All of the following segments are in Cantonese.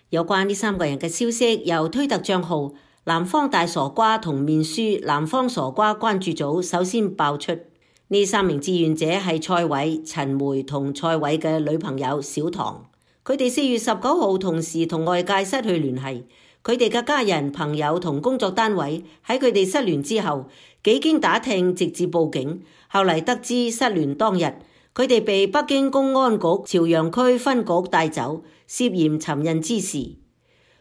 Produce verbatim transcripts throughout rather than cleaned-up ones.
有關呢三個人嘅消息，由推特賬號南方大傻瓜同面書南方傻瓜關注組首先爆出。呢三名志願者係蔡偉、陳梅同蔡偉嘅女朋友小唐。佢哋四月十九號同時同外界失去聯繫，佢哋嘅家人、朋友同工作單位喺佢哋失聯之後，幾經打聽直至報警。後嚟得知失聯當日，佢哋被北京公安局朝陽區分局帶走，涉嫌尋釁滋事。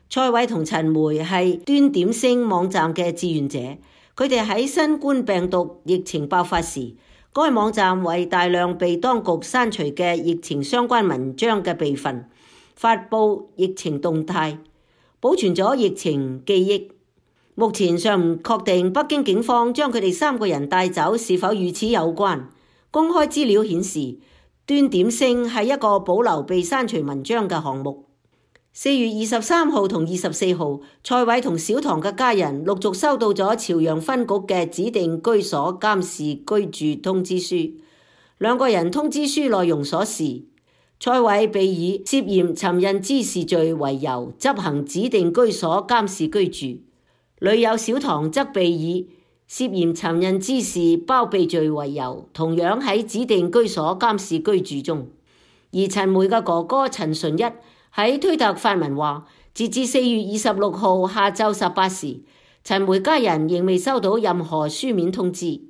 蔡偉同陳梅係端點星網站嘅志願者，佢哋喺新冠病毒疫情爆發時，該網站為大量被當局刪除嘅疫情相關文章嘅備份，發佈疫情動態，保存咗疫情記憶。目前尚唔確定北京警方將佢哋三個人帶走是否與此有關。公開資料顯示，端點星係一個保留被刪除文章嘅項目。四月二十三號同二十四號，蔡偉同小唐嘅家人陸續收到咗朝陽分局嘅指定居所監視居住通知書。兩個人通知書內容所示，蔡偉被以涉嫌尋釁滋事罪為由執行指定居所監視居住，女友小唐則被以涉嫌尋釁滋事包庇罪為由，同樣喺指定居所監視居住中。而陳梅嘅哥哥陳純一喺推特發文話，截至四月二十六號下晝十八時，陳梅家人仍未收到任何書面通知。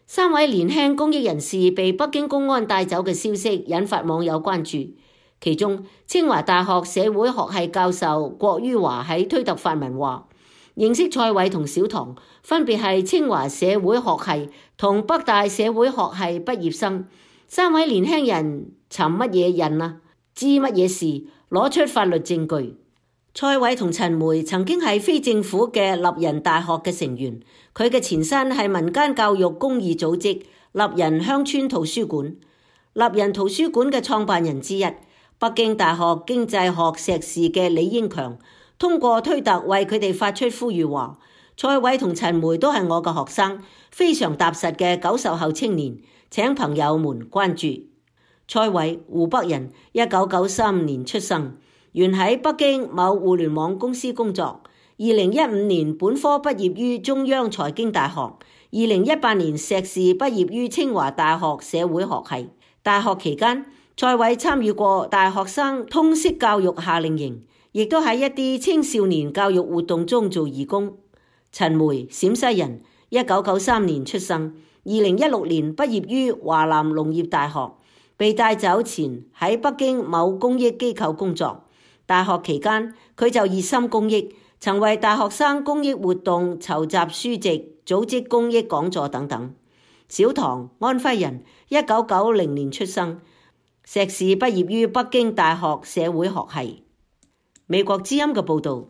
三位年輕公益人士被北京公安帶走嘅消息引發網友關注，其中清華大學社會學系教授郭于華喺推特發文話，認識蔡偉同小唐分別係清華社會學系同北大社會學系畢業生。三位年輕人尋乜嘢人啊？知乜嘢事？攞出法律證據。蔡偉同陳梅曾經係非政府嘅立人大學嘅成員，佢嘅前身係民間教育公益組織立人鄉村圖書館。立人圖書館嘅創辦人之一，北京大學經濟學碩士嘅李英強，通過推特為佢哋發出呼籲話，蔡偉同陳梅都係我嘅學生，非常踏實嘅九十後青年，請朋友們關注。蔡偉，湖北人，一九九三年出生，原喺北京某互聯網公司工作。二零一五年本科畢業於中央財經大學，二零一八年碩士畢業於清華大學社會學系。大學期間，蔡偉參與過大學生通識教育夏令營，亦都喺一啲青少年教育活動中做義工。陳梅，陝西人，一九九三年出生，二零一六年畢業於華南農業大學。被帶走前喺北京某公益機構工作，大學期間佢就熱心公益，曾為大學生公益活動籌集書籍、組織公益講座等等。小唐，安徽人，一九九零年出生，碩士畢業於北京大學社會學系。美國之音嘅報導。